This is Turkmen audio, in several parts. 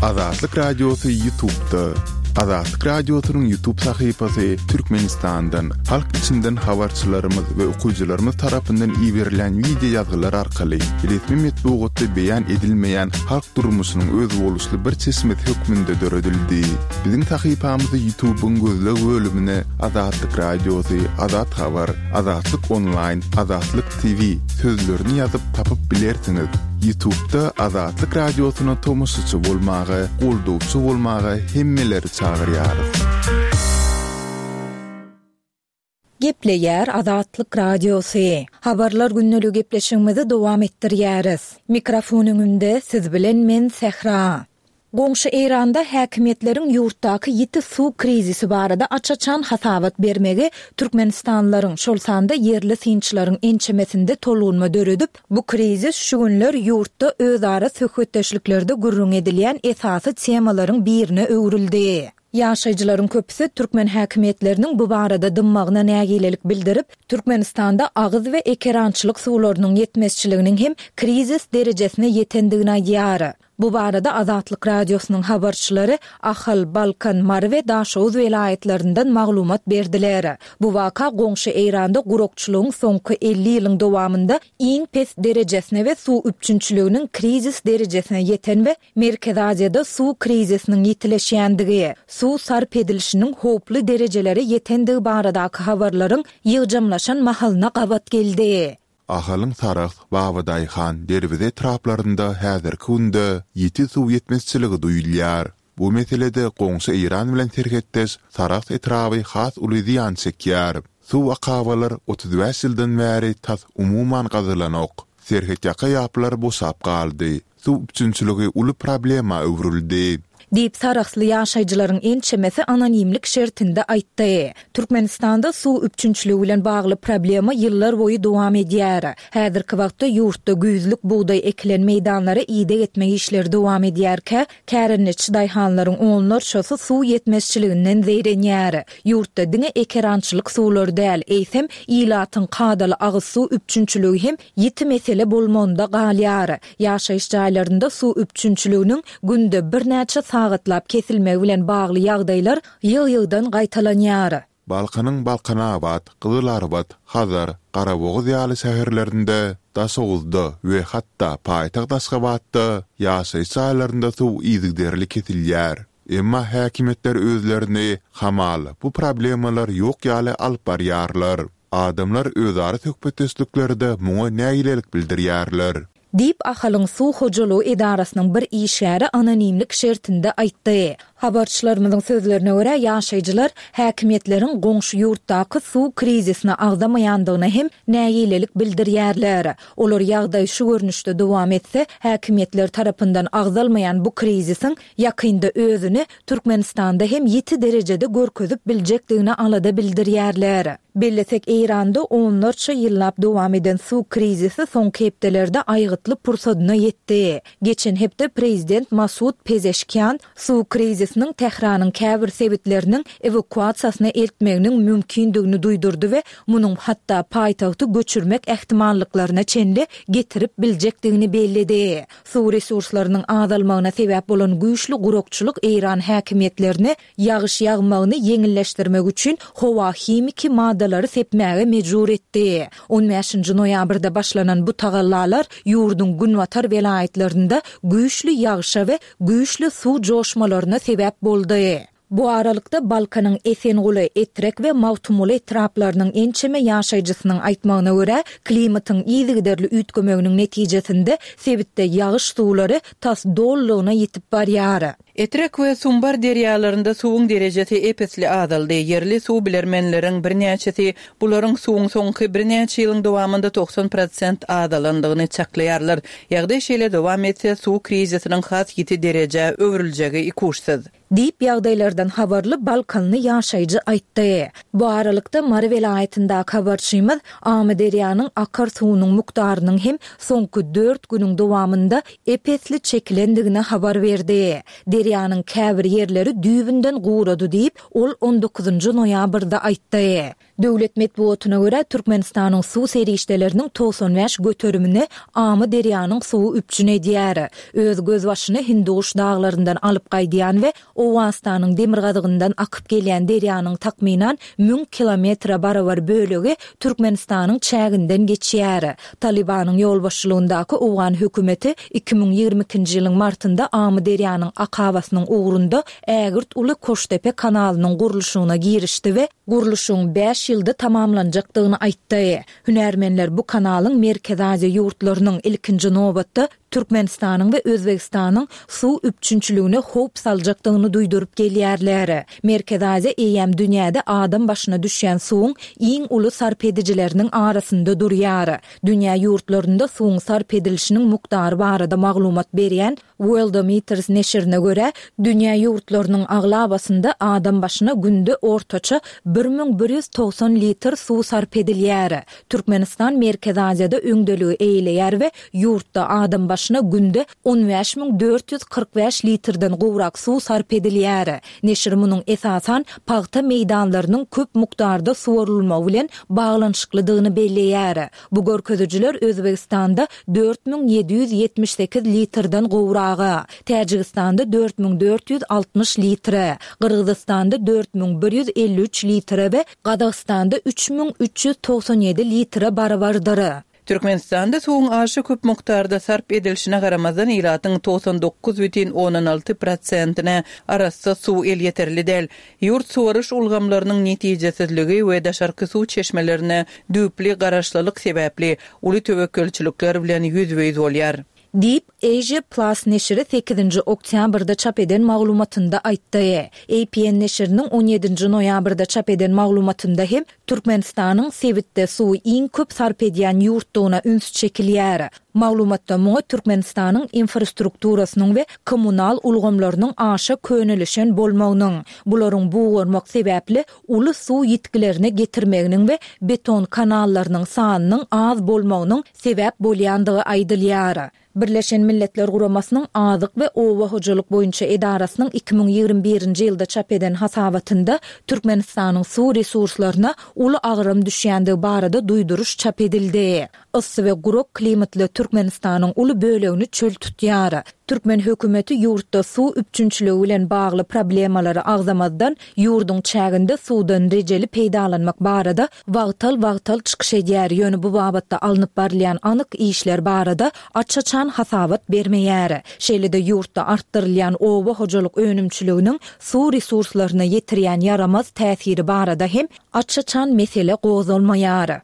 Azatlyk Radiosy Ýutubda. Azatlyk Radiosynyň Ýutub sahypasy Türkmenistandan, halk içinden habarçylarymyz we okyjylarymyz tarapyndan iberilen wideo ýazgylar arkaly resmi metbugatda beýan edilmeýän halk durmuşynyň özboluşly bir çeşmesi hökmünde döredildi. Biziň sahypamyzy Ýutubyň gözleg bölümine Azatlyk Radiosy, Azat Habar, Azatlyk Onlaýn, Azatlyk TV sözlerini ýazyp tapyp bilersiňiz. Ýutubda Azatlyk Radiosyna tomaşaçy bolmaga, goldawçy bolmaga hemmeleri çagyrýarys. Gepleýär Azatlyk Radiosy. Habarlar gündeligi gepleşigimizi dowam etdirýäris. Mikrofon öňünde siz bilen men Sähra. Goňşy Eýranda häkimiýetleriň ýurtdaky ýiti suw krizisi barada aç-açan hasabat bermegi türkmenistanlylaryň, şol sanda ýerli synçylaryň ençemesinde tolgunma döredip, bu krizis şu günler ýurtda özara söhbetdeşliklerde gürrüň edilýän esasy temalaryň birine öwrüldi. Ýaşaýjylaryň köpüsi türkmen häkimiýetleriniň bu barada dymmagyna nägilelik bildirip, Türkmenistanda agyz we ekerançylyk suwlarynyň ýetmezçiliginiň hem krizis derejesine ýetendigini aýdýar. Bu barada Azatlyk Radiosynyň habarçylary Ahal, Balkan, Mary we Daşoguz welaýatlaryndan maglumat berdiler. Bu waka goňşy Eýranda gurakçylygyň soňky 50 ýylyň dowamynda iň pes derejesine we suw üpjünçiliginiň krizis derejesine ýeten we Merkezi Aziýada suw krizisiniň ýitileşýändigi, suw sarp edilişiniň howply derejelere ýetendigi baradaky habarlaryň ýygjamlaşan mahalyna gabat geldi. Ahalyň Sarahs, Babadaýhan, Derweze etraplarynda häzirki günde ýiti suw ýetmezçiligi duýulýar. Bu meselede goňşy Eýran bilen serhetdeş Sarahs etraby has uly zyýan çekýär. Suw akabalar 35 ýyldan bäri tas umuman gazylanok. Serhetýaka ýaplar boşap galdy. Suw üpjünçiligi uly problema öwrüldi. Diýip, sarahsly ýaşaýjylaryň ençemesi anonimlik şertinde aýtdy. Türkmenistanda suw üpjünçiligi bilen bagly problema ýyllar boýy dowam edýär. Häzirki wagtda ýurtda güýzlük bugdaý ekilen meýdanlara ideg etmek işleri dowam edýärkä, kärendeçi daýhanlaryň onlarçasy suw ýetmezçiliginden zeýrenýär. Ýurtda diňe ekerançylyk suwlary däl, eýsem, ilatyň kadaly agyz suw üpjünçiligi hem ýiti mesele bolmagynda galýar. Ýaşaýyş jaýlarynda suw üpjünçiliginiň günde birnäçe sagatlap kesilmegi bilen bagly ýagdaýlar ýygy-ýygydan gaýtalanýar. Balkanyň Balkanabat, Gyzylarbat, Hazar, Garabogaz ýaly şäherlerinde, Daşoguzda we hatda paýtagt Aşgabatda ýaşaýyş jaýlarynda suw yzygiderli kesilýär. Emma häkimiýetler özlerini, hamala, bu problemalar ýok ýaly alyp barýarlar. Adamlar özara söhbetdeşliklerde muňa nägilelik bildirýärler. Diýip, Ahalyň suw hojalygy edarasynyň bir işgäri anonimlik şertinde aýtdy. Habarçylarymyzyň sözlerine görä, ýaşaýjylar häkimiýetleriň goňşy ýurtdaky suw krizisini agzamaýandygyna hem nägilelik bildirýärler. Olar ýagdaý şu görnüşde dowam etse, häkimiýetler tarapyndan agzalmaýan bu krizisiň ýakynda özüni Türkmenistanda hem ýiti derejede görkezip biljekdigine alada bildirýärler. Bellesek, Eýranda onlarça ýyllap dowam eden suw krizisi soňky hepdelerde aýgytly pursadyna ýetdi. Geçen hepde prezident Masud Pezeşkian suw krizisiniň Tähranyň käbir sebitleriniň ewakuasiýasyna eltmeginiň mümkindigini duýdurdy we munuň hatda paýtagty göçürmek ähtimallyklaryna çenli getirip biljekdigini belledi. Suw resurslarynyň azalmagyna sebäp bolan güýçli gurakçylyk eýran häkimiýetlerini ýagyş ýagmagyny ýeňilleşdirmek üçin howa himiki maddalary sepmäge mejbur etdi. On bäşinji noýabrda başlanan bu tagallalar ýurduň günbatar welaýatlarynda güýçli ýagyşa we güýçli suw joşmalaryna sebäp boldy. Bu aralykda, Balkanyň Esenguly, Etrek we Magtymguly etraplarynyň ençeme ýaşaýjysynyň aýtmagyna görä, klimatyň yzygiderli üýtgemeginiň netijesinde sebitde ýagyş suwlary tas dolulygyna ýitip barýar. Etrek we Sumbar derýalarynda suwuň derejesi ep-esli azaldy. Ýerli suw bilermenleriň birnäçesi bularyň suwuň soňky birnäçe ýylyň dowamynda 90 prosent azalandygyny çaklaýarlar. Ýagdaý şeýle dowam etse, suw krizisiniň has ýiti derejä öwrüljegi ikuçsyz. Diýip, ýagdaýlardan habarly balkanly ýaşaýjy aýtdy. Bu aralykda, Mary welaýatyndaky habarçymyz Amyderýanyň akar suwunyň mukdarynyň hem soňky dört günüň dowamynda ep-esli çekilendigini habar berdi. Derýanyň käbir ýerleri düýbünden gurady diýip, ol on dokuzynjy noýabrda aýtdy. Döwlet metbugatyna görä, Türkmenistanyň suw serişdeleriniň 95 göterimini Amyderýanyň suwy üpjün edýär. Öz gözbaşyny Hindiguş daglaryndan alyp gaýdýan we Owganystanyň demirgazygyndan akyp gelýän derýanyň takmynan 1000 kilometre barabar bölegi Türkmenistanyň çäginden geçýär. Talybanyň ýolbaşçylygyndaky owgan hökümeti 2022-nji ýylyň martynda Amyderýanyň akabasynyň ugrunda ägirt uly Koştepe kanalynyň gurluşygyna girişdi we gurluşygyň bäş ýylda tamamlanjakdygyny aýtdy. Hünärmenler bu kanalyň Merkezi Aziýa ýurtlarynyň, ilkinji nobatda, Türkmenistanyň we Özbegistanyň suw üpjünçiligine howp saljakdygyny duýduryp gelýärler. Merkezi Aziýa eýýäm dünýäde adam başyna düşýän suwuň iň uly sarp edijileriniň arasynda durýar. Dünýä ýurtlarynda suwuň sarp edilişiniň mukdary barada maglumat berýän Worldometers neşirine görä, dünýä ýurtlarynyň aglabasynda adam başyna günde ortaça 1190 litr suw sarp edilýär. Türkmenistan Merkezi Aziýada öňdeligi eýeleýär we ýurtda adam başyna günde 15 445 litrden gowrak suw sarp edilýär. Neşir munuň esasan pagta meýdanlarynyň köp mukdarda suwarylmagy bilen baglanyşyklydygyny belleýär. Bu görkezijiler Özbegistanda 4778 litrden gowraga, Täjigistanda 4460 litre, Gyrgyzystanda 4153 litre we Gazagystanda 3397 litre barabardyr. Türkmenistanda suwuň aşa köp mukdarda sarp edilişine garamazdan, ilatyň 99 bütin ondan alty prosentine arassa suw elýeterli däl. Ýurt suwaryş ulgamlarynyň netijesizligi we daşarky suw çeşmelerine düýpli garaşlylyk sebäpli uly töwekgelçilikler bilen ýüzbe-ýüz bolýar. Diýip, Asia Plus neşiri sekizinji oktýabrda çap eden maglumatynda aýtdy. APN neşiriniň on ýedinji noýabrda çap eden maglumatynda hem Türkmenistanyň sebitde suwy iň köp sarp edýän ýurtdugyna üns çekilýär. Maglumatda muňa Türkmenistanyň infrastrukturasynyň we kommunal ulgamlarynyň aşa könelişen bolmagynyň, bularyň bugarmak sebäpli uly suw ýitgilerine getirmeginiň we beton kanallarynyň sanynyň az bolmagynyň sebäp bolýandygy aýdylýar. Birleşen Milletler Guramasynyň Azyk we oba hojalyk boýunça edarasynyň 2021-nji ýylda çap eden hasabatynda Türkmenistanyň suw resurslaryna uly agram düşýändigi barada duýduryş çap edildi. Yssy we gurak klimatly Türkmenistanyň uly bölegini çöl tutýar. Türkmen hökümeti ýurtda suw üpjünçiligi bilen bagly problemalary agzamazdan, ýurduň çäginde suwdan rejeli peýdalanmak barada wagtal-wagtal çykyş edýär, ýöne bu babatda alnyp barylýan anyk işler barada aç-açan hasabat bermeýär. Şeýle-de ýurtda artdyrylýan oba hojalyk önümçiliginiň suw resurslaryna ýetirýän ýaramaz täsiri barada hem aç-açan mesele gozgalmaýar.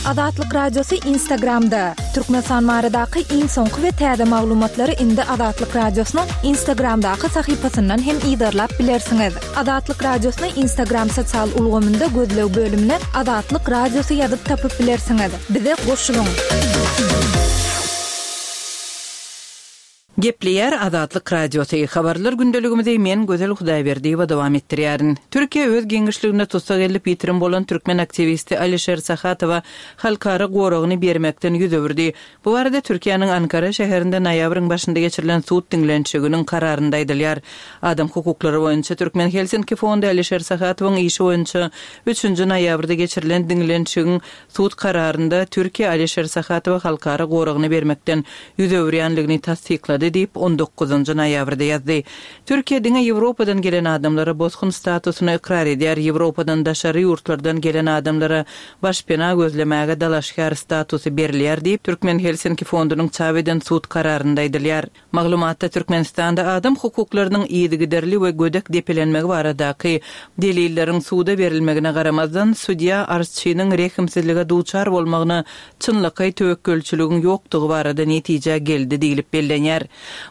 Azatlyk Radiosy Instagramda, Türkmenistan baradaky iň soňky we täze maglumatlary indi Azatlyk Radiosynyň Instagramdaky sahypasyndan hem yzarlap bilersiňiz. Azatlyk Radiosyny Instagram sosial ulgamynda gözleg bölümine Azatlyk Radiosy ýazyp tapyp bilersiňiz. Bize goşulyň! Gepleýär Azatlyk Radiosy, Habarlar gündeligimizi men Gözel Hudaýberdiýewa dowam etdirýärin. Türkiýe öz giňişliginde tussag edilip ýitirim bolan türkmen aktiwisti Alişer Sahatowa halkara goragyny bermekden ýüz öwürdi. Bu barada Türkiýäniň Ankara şäherinde noýabryň başynda geçirilen sud diňlenişiginiň kararynda aýdylýar. Adam hukuklary boýunça Türkmen Helsinki fondy Alişer Sahatowyň işi boýunça üçünji noýabrda geçirilen diňlenişigiň Sud kararynda Türkiýe Alişer Sahatowa halkara goragyny bermekden ýüz öwürýänligini tassyklady diýip, on dokuzynjy noýabrda ýazdy. Türkiýe diňe Ýewropadan gelen adamlara bosgun statusyny ykrar edýär, Ýewropadan daşary ýurtlardan gelen adamlara başpena gözlemäge dalaşgär statusy berilýär diýip, Türkmen Helsinki fondunyň çap eden sud kararynda aýdylýar. Maglumatda Türkmenistanda adam hukuklarynyň yzygiderli we gödek depelenmegi baradaky delilleriň suda berilmegine garamazdan, sudýa arzçynyň rehimsizlige duçar bolmagyna çynlakaý töwekgelçiligiň ýokdugy barada netijä geldi diýlip bellenýär.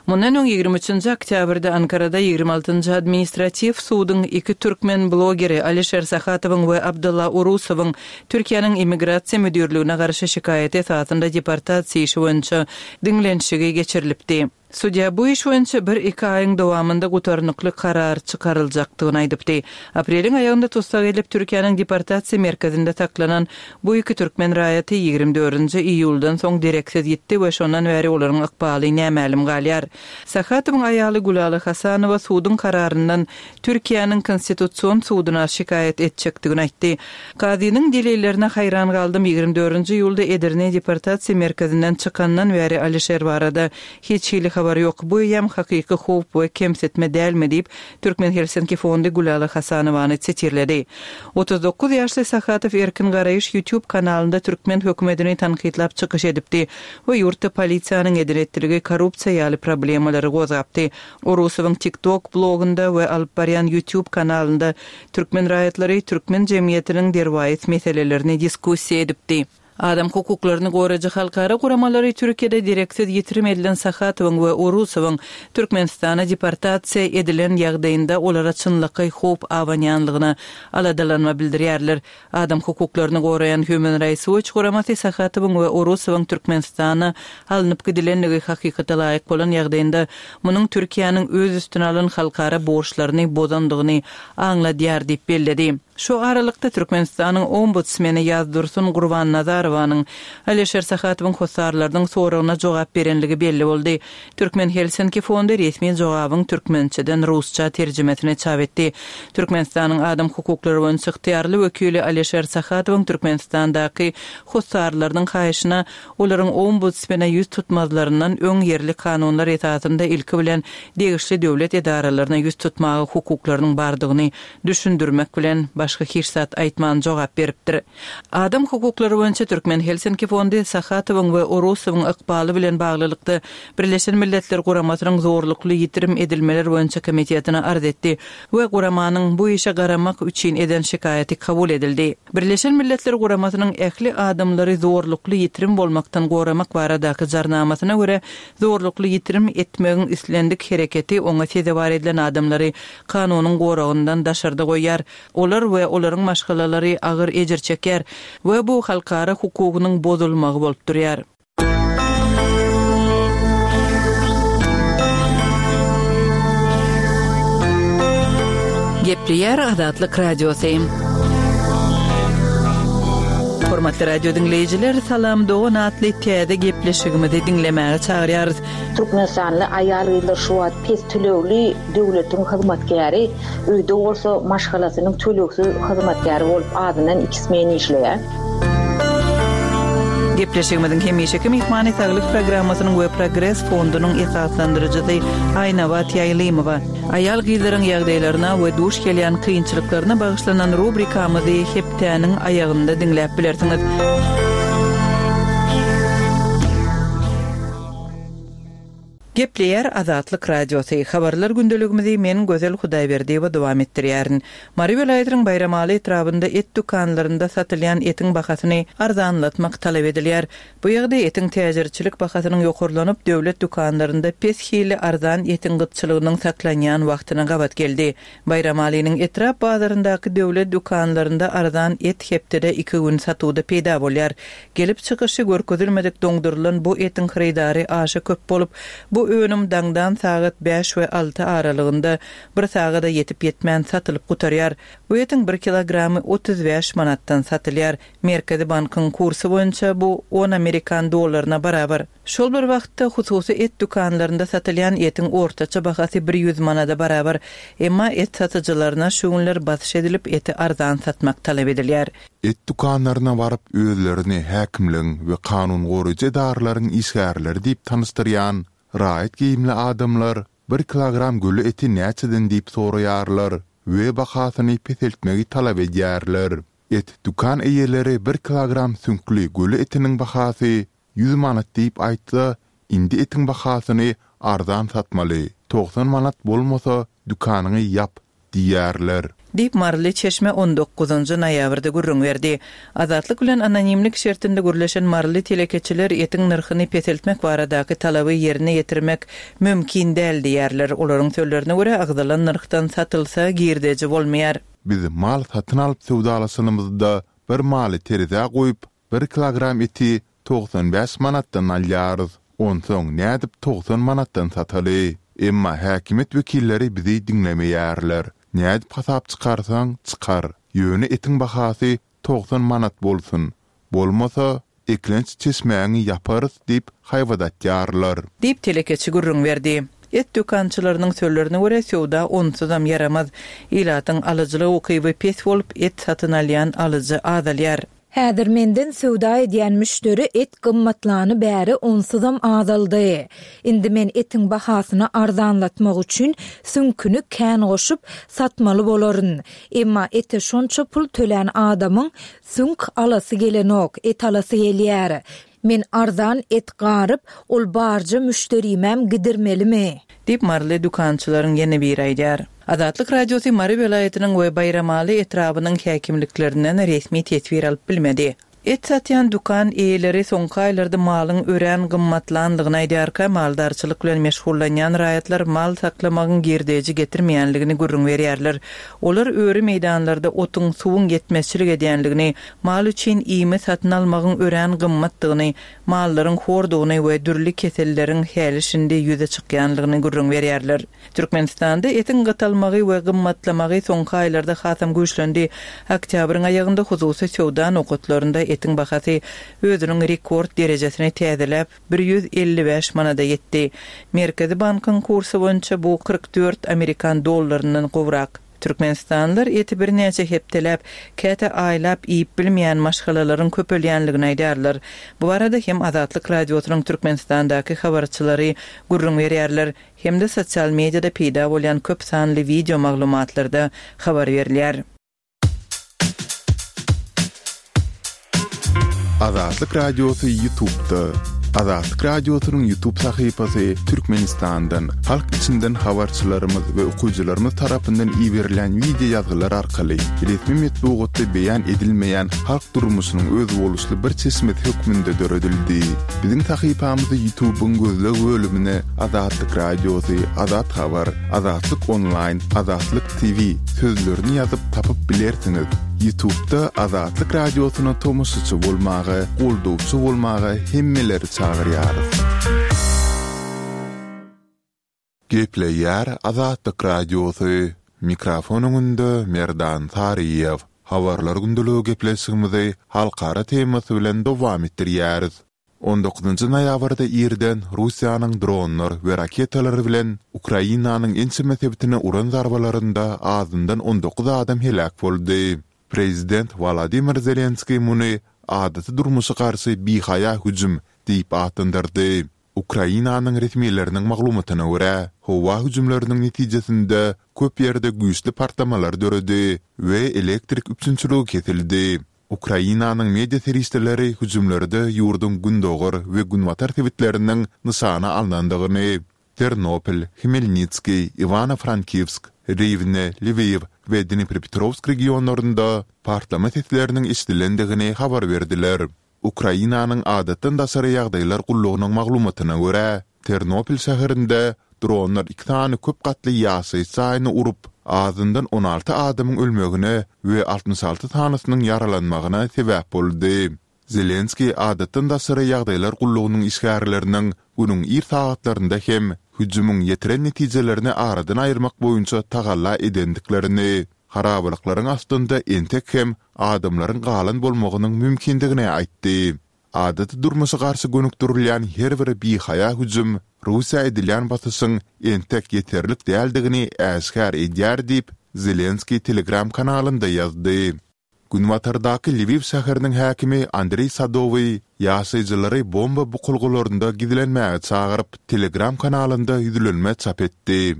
Mundan öň ýigrimi üçünji oktýabrda Ankarada ýigrimi altynjy administratiw suduň iki türkmen blogeri Alişer Sahatowyň we Abdylla Urusowyň Türkiýäniň Immigrasiýa müdirligine garşy şikaýaty esasynda deportasiýa işi boýunça diňlenişigi geçirilipdi. Sudýa bu iş boýunça bir-iki aýyň dowamynda gutarnykly karar çykaryljakdygyny aýdypdy. Apreliň aýagynda tussag edilip, Türkiýäniň deportasiýa merkezinde saklanan bu iki türkmen raýaty 24-nji iýuldan soň dereksiz ýitdi we şondan bäri olaryň ykbaly nämälim galýar. Sahatowyň aýaly Gülala Hasanowa suduň kararyndan Türkiýäniň Konstitusion suduna şikaýat etjekdigini aýtdy. Kazynyň delillerine haýran galdym, 24-nji iýulda Edirne deportasiýa merkezinden çykandan bäri Alişer barada hiç hili habar ýok. Bu eýýäm hakyky howp we kemsitme dälmi diýip, Türkmen Helsinki fondy Gülala Hasanowany sitirledi. 39 ýaşly Sahatow Erkin Garaýyş YouTube kanalynda türkmen hökümetini tankytlap çykyş edipdi we ýurtda polisiýanyň eden-etdiligi, korrupsiýa ýaly problemalary gozgapdy. Orusowyň TikTok blogunda we alyp barýan YouTube kanalynda türkmen raýatlary türkmen jemgyýetiniň derwaýys meselelerini diskussiýa edipdi. Adam hukuklaryny goraýjy halkara guramalary Türkiýede dereksiz ýitirim edilen Sahatowyň we Orusowyň Türkmenistana deportasiýa edilen ýagdaýynda olara çynlakaý howp abanýanlygyna aladalanma bildirýärler. Adam hukuklaryny goraýan Human Rights Watch guramasy Sahatowyň we Orusowyň Türkmenistana alnyp gidilenligi hakykata laýyk bolan ýagdaýynda, munuň Türkiýäniň öz üstüne alan halkara borçlaryny bozandygyny aňladýar diýip belledi. Şu aralykda, Türkmenistanyň Ombudsmeni Ýazdursun Gurbannazarowanyň Alişer Sahatowyň hossarlarynyň soragyna jogap berenligi belli boldy. Türkmen Helsinki fondy resmi jogabyň türkmençeden rusça terjimesini çap etdi. Türkmenistanyň adam hukuklary boýunça ygtyýarly wekili Alişer Sahatowyň Türkmenistandaky hossarlarynyň haýyşyna olaryň ombudsmene ýüz tutmazlaryndan öň ýerli kanunlar esasynda ilki bilen degişli döwlet edaralaryna ýüz tutmaga hukuklarynyň bardygyny düşündirmek bilen başga hiç zat aýtman jogap beripdir. Adam hukuklary boýunça Türkmen Helsinki fondy Sahatowyň we Orusowyň ykbaly bilen baglylykda Birleşen Milletler Guramasynyň Zorlukly ýitirim edilmeler boýunça komitetine arz etdi we guramanyň bu işe garamak üçin eden şikaýaty kabul edildi. Birleşen Milletler Guramasynyň ähli adamlary zorlukly ýitirim bolmakdan goramak baradaky Jarnamasyna görä, zorlukly ýitirim etmegiň islendik hereketi oňa sezewar edilen adamlary kanunyň goragyndan daşarda goýýar. Olar we olaryň maşgalalary agyr ejir çekýär we bu halkara hukugynyň bozulmagy bolup durýar. Gepleýär Azatlyk Radiosy. Hormatly radio diňleýjiler, Salam dogan atly täze gepleşigimizi diňlemäge çagyrýarys. Türkmenistanly aýal-gyzlar şu wagt pes tölegli döwletiň hyzmatkäri, öýde bolsa maşgalasynyň tölegsiz hyzmatkäri bolup azyndan iki smen işleýär. Gepleşigimiziň hemişeki myhmany Saglyk programmasynyň we Progres fondunyň esaslandyryjysy Aýnabat Ýaýlymowa. Aýal-gyzlaryň ýagdaýlaryna we duş gelýän kynçylyklaryna bagyşlanan rubrikamyzy hepdäniň aýagynda diňläp bilersiňiz. Gepleýär Azatlyk Radiosy, Habarlar gündeligimizi men Gözel Hudaýberdiýewa dowam etdirýärin. Mary welaýatynyň Baýramaly etrabynda et dükanlarynda satylýan etiň bahasyny arzanlatmak talap edilýär. Bu ýagdaý etiň täjirçilik bahasynyň ýokarlanyp, döwlet dükanlarynda pes hilli arzan etiň gytçylygynyň saklanýan wagtyna gabat geldi. Baýramalynyň etrap bazaryndaky döwlet dükanlarynda arzan et hepdede iki gün satuwda peýda bolýar. Gelip çykyşy görkezilmedik doňdurylan bu etiň hyrydary aşa köp bolup, bu önüm daňdan sagat bäş we alty aralygynda bir sagada ýetip-ýetmän satylyp gutarýar. Bu etiň bir kilogramy 35 manatdan satylýar. Merkezi bankyň kursy boýunça bu on amerikan dollaryna barabar. Şol bir wagtda, hususy et dükanlarynda satylýan etiň ortaça bahasy bir ýüz manada barabar. Emma et satyjylaryna şu günler basyş edilip, eti arzan satmak talap edilýär. Et dükanlaryna baryp, özlerini häkimligiň we kanun goraýjy edaralaryň işgärleri diýip tanyşdyrýan raýat geýimli adamlar bir kilogram göle eti näçeden diýip soraýarlar we bahasyny peseltmegi talap edýärler. Et dükan eýeleri bir kilogram süňkli göle etiniň bahasy 100 manat diýip aýtsa, indi etiň bahasyny arzan satmaly, 90 manat bolmasa dükanyňy ýap diýýärler. Diýip, maryly çeşme on dokuzynjy noýabrda gürrüň berdi. Azatlyk bilen anonimlik şertinde gürleşen maryly telekeçiler etiň nyrhyny peseltmek baradaky talaby ýerine ýetirmek mümkin däl diýýärler. Olaryň sözlerine görä, agzalan nyrhdan satylsa, girdeji bolmaýar. Biz mal satyn alyp söwdalaşanymyzda bir maly terezä goýup, Bir kilogram eti 95 manatdan alýarys. Onsoň nädip 90 manatdan sataly? Emma häkimiýet wekilleri bizi diňlemeýärler. Nädip hasap çykarsaň, çykar. Ýöne etiň bahasy 90 manat bolsun. Bolmasa, eklenç çeşmäňi ýaparys diýip haýbat atýarlar. Diýip, telekeçi gürrüň berdi. Et dükançylarynyň sözlerine görä, söwda onsuzam ýaramaz. Ilatyň alyjylyk ukyby pes bolup, et satyn alýan alyjy azalýar. Häzir menden söwda edýän müşderi et gymmatlany bäri onsuzam azaldy. Indi men etiň bahasyny arzanlatmak üçin süňküni kän goşup, satmaly bolaryn. Emma ete şonça pul tölän adamyň Süňk alasy gelenok, et alasy gelýär. Men arzan et garyp, ol barja müşderimäm gidirmelimi? Diýip, maryly dükançylaryň ýene biri aýdýar. Azatlyk Radiosy Mary welaýatynyň we Baýramaly etrabynyň häkimliklerinden resmi teswir alyp bilmedi. Et satýan dükan eýeleri soňky aýlarda malyň örän gymmatlandygyny aýdýarka, maldarçylyk bilen meşgullanýan raýatlar mal saklamagyň girdeji getirmeýänligini gürrüň berýärler. Olar öri meýdanlarda otuň, suwuň ýetmezçilik edýänligini, mal üçin iými satyn almagyň örän gymmatdygyny, mallaryň hordugyny we dürli keselleriň häli-şindi ýüze çykýanlygyny gürrüň berýärler. Türkmenistanda etiň gytalmagy we gymmatlamagy soňky aýlarda hasam güýçlendi. Oktýabryň aýagynda hususy söwda nokatlarynda etiň bahasy özüniň rekord derejesini täzeläp, 155 manada ýetdi. Merkezi bankyň kursy boýunça bu 44 amerikan dollaryndan gowrak. Türkmenistanlylar eti birnäçe hepdeläp, käte aýlap iýip bilmeýän maşgalalaryň köpelýänligini aýdýarlar. Bu barada hem Azatlyk Radiosynyň Türkmenistandaky habarçylary gürrüň berýärler, hem-de sosial mediada peýda bolýan köp sanly wideo maglumatlarda habar berilýär. Azatlyk Radiosy Ýutubda. Azatlyk Radiosynyň Ýutub sahypasy Türkmenistandan, halk içinden habarçylarymyz we okyjylarymyz tarapyndan iberilen wideo ýazgylar arkaly resmi metbugatda beýan edilmeýän halk durmuşynyň özboluşly bir çeşmesi hökmünde döredildi. Biziň sahypamyzy Ýutubyň gözleg bölümine Azatlyk Radiosy, Azat Habar, Azatlyk Onlaýn, Azatlyk TV sözlerini ýazyp tapyp bilersiňiz. Ýutubda Azatlyk Radiosyna tomaşaçy bolmaga, goldawçy bolmaga hemmeleri çagyrýarys. Gepleýär Azatlyk Radiosy, mikrofon öňünde Merdan Saryýew. Habarlar gündeligi gepleşigimizi halkara temasy bilen dowam etdirýäris. On dokuzynjy noýabrda irden Russiýanyň dronlar we raketalar bilen Ukrainanyň ençeme sebitine uran zarbalarynda azyndan 19 adam heläk boldy. Prezident Wolodymyr Zelenskiý muny adaty durmuşa garşy bihaýa hüjüm diýip atlandyrdy. Ukrainanyň resmileriniň maglumatyna görä, howa hüjümleriniň netijesinde köp ýerde güýçli partlamalar döredi we elektrik üpjünçiligi kesildi. Ukrainanyň media serişdeleri hüjümlerde ýurduň gündogar we günbatar sebitleriniň nyşana alnandygyny, Ternopil, Hmelnitskiý, Iwano-Frankivsk, Riwne, Lwiw we Dniprepetrowsk regionlarynda partlama sesleriniň eşidilendigini habar berdiler. Ukrainanyň Adatdan daşary ýagdaýlar gullugynyň maglumatyna görä, Ternopil şäherinde dronlar iki sany köp gatly ýaşaýyş jaýyny urup, azyndan 16 adamyň ölmegine we 66 sanysynyň ýaralanmagyna sebäp boldy. Zelenskiý Adatdan daşary ýagdaýlar gullugynyň işgärleriniň günüň ir sagatlarynda hem hüjümiň ýetiren netijelerini aradan aýyrmak boýunça tagalla edendiklerini, harabalyklaryň astynda entek hem adamlaryň galan bolmagynyň mümkindigini aýtdy. Adaty durmuşa garşy gönükdirilýän her bir bihaýa hüjüm Russiýa edilýän basyşyň entek ýeterlik däldigini äşgär edýär diýip, Zelenskiý Telegram kanalynda ýazdy. Günbatardaky Lwiw şäheriniň häkimi Andreý Sadowyý ýaşaýjylary bomba bukulgalarynda gizlenmäge çagyryp, Telegram kanalynda ýüzlenme çap etdi.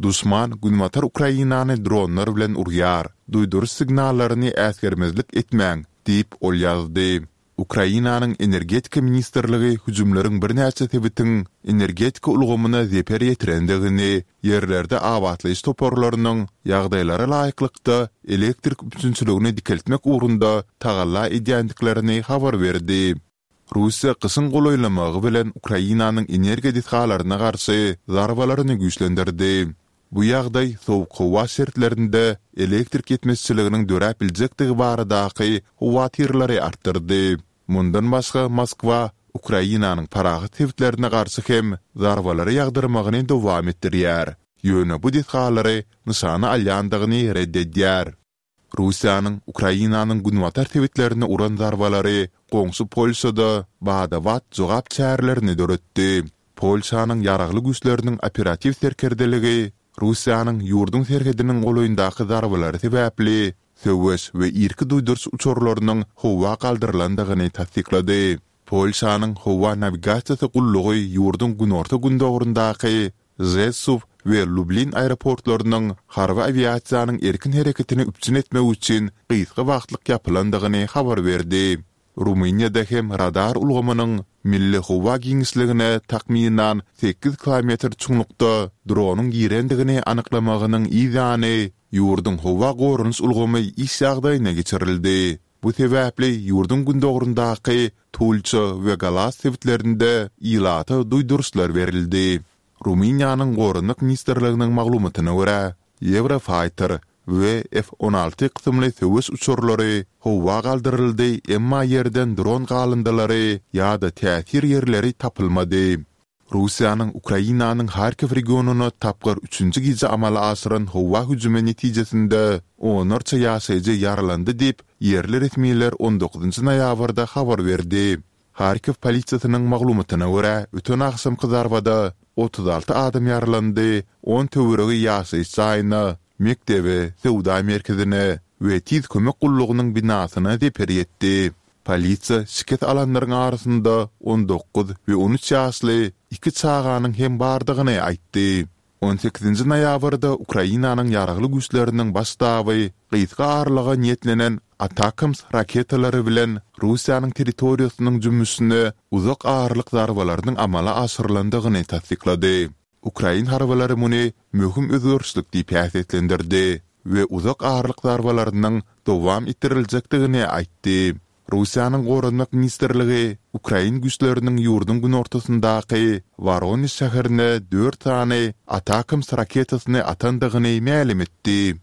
Duşman günbatar Ukrainany dronlar bilen urýar. Duýduryş signallaryny äsgermezlik etmäň, diýip, ol ýazdy. Ukrainanyň Energetika ministrligi hüjümleriň birnäçe sebitiň energetika ulgamyna zeper ýetirendigini, ýerlerde abatlaýyş toparlarynyň ýagdaýlara laýyklykda elektrik üpjünçiligini dikeltmek ugrunda tagalla edýändiklerini habar berdi. Russiýa gyşyň golaýlamagy bilen Ukrainanyň energiýa desgalaryna garşy zarbalaryny güýçlendirdi. Bu ýagdaý sowuk howa şertlerinde elektrik ýetmezçiliginiň döräp biljekdigi baradaky howatyrlary artdyrdy. Mundan başga, Moskwa Ukrainanyň parahat sebitlerine garşy hem zarbalary ýagdyrmagyny dowam etdirýär, ýöne bu desgalary nyşana alýandygyny ret edýär. Russiýanyň Ukrainanyň günbatar sebitlerine uran zarbalary goňşy Polşada bada-bat jogap çärelerini döretdi. Polşanyň Ýaragly Güýçleriniň operatiw serkerdeligi Russiýanyň ýurduň serhediniň golaýyndaky zarbalary sebäpli söweş we irki duýduryş uçarlarynyň howa galdyrylandygyny tassyklady. Polşanyň howa nawigasiýasy gullugy ýurduň günorta-gündogaryndaky Žesuw we Lublin aeroportlarynyň harby awiasiýanyň erkin hereketini üpjün etmek üçin gysga wagtlyk ýapylandygyny habar berdi. Rumyniýada hem radar ulgamynyň milli howa giňişligine takmynan sekiz kilometr çuňlukda dronyň girendigini anyklamagynyň yz ýany, ýurduň howa goranyş ulgamy iş ýagdaýyna geçirildi. Bu sebäpli ýurduň gündogaryndaky Tulça we Galas sebitlerinde ilata duýduryşlar berildi. Rumyniýanyň Goranmak ministrliginiň maglumatyna görä, Eurofighter we F 16 kysymly söweş uçarlary howa galdyryldy, emma ýerden dron galyndylary ýa-da täsir ýerleri tapylmady. Russiýanyň Ukrainanyň Harkiw regionyna tapgyr üçünji gije amala aşyran howa hüjümi netijesinde onlarça ýaşaýjy ýaralandy diýip, ýerli resmiler on dokuzynjy noýabrda habar berdi. Harkiw polisiýasynyň maglumatyna görä, öten agşamky zarbada 36 adam ýaralandy, on töweregi ýaşaýyş jaýyna, mekdebe, söwda merkezine we tiz kömek gullugynyň binasyna zeper ýetdi. Polisiýa şikes alanlaryň arasynda 19 we 13 ýaşly iki çaganyň hem bardygyny aýtdy. On sekizinji noýabrda Ukrainanyň Ýaragly Güýçleriniň Baş ştaby gysga aralyga niýetlenen Atacms raketalary bilen Russiýanyň territoriýasynyň jümmüşine uzak aralyk zarbalarynyň amala aşyrylandygyny tassyklady. Ukrain harbylary muny möhüm özgerişlik diýip häsiýetlendirdi we uzak aralyk zarbalarynyň dowam etdiriljekdigini aýtdy. Russiýanyň Goranmak ministrligi ukrain güýçleriniň ýurduň günortasyndaky Woronež şäherine dört sany Atacms raketasyny atandygyny mälim etdi.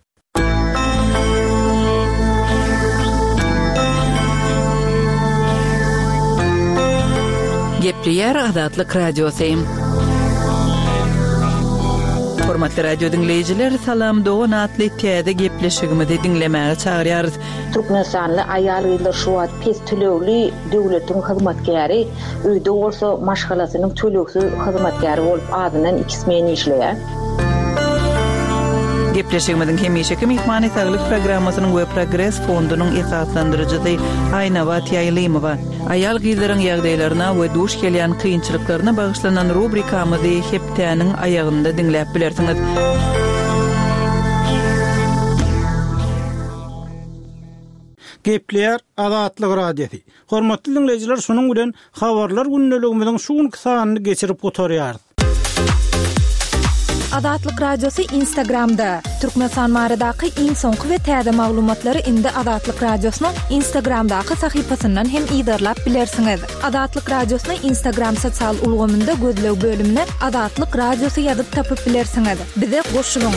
Gepleýär Azatlyk Radiosy. Hormatly radio diňleýjiler, Salam dogan atly täze gepleşigimizi diňlemäge çagyrýarys. Türkmenistanly aýal-gyzlar şu wagt pes tölegli döwletiň hyzmatkäri, öýde bolsa maşgalasynyň tölegsiz hyzmatkäri bolup azyndan iki smen işleýär. Gepleşigimiziň hemişeki myhmany Saglyk programmasynyň we Progres fondunyň esaslandyryjysy Aýnabat Ýaýlymowa. Aýal-gyzlaryň ýagdaýlaryna we duş gelýän kynçylyklaryna bagyşlanan rubrikamyzy hepdäniň aýagynda diňläp bilersiňiz. Gepleýär Azatlyk Radiosy. Hormatly diňleýjiler şunuň bilen Habarlar gündeligimiziň şu günki sanyny geçirip gutarýarys. Azatlyk Radiosy Instagramda, Türkmenistan baradaky iň soňky we täze maglumatlary indi Azatlyk Radiosynyň Instagramdaky sahypasyndan hem yzarlap bilersiňiz. Azatlyk Radiosyny Instagram sosial ulgamynda gözleg bölümine Azatlyk Radiosy ýazyp tapyp bilersiňiz. Bize goşulyň!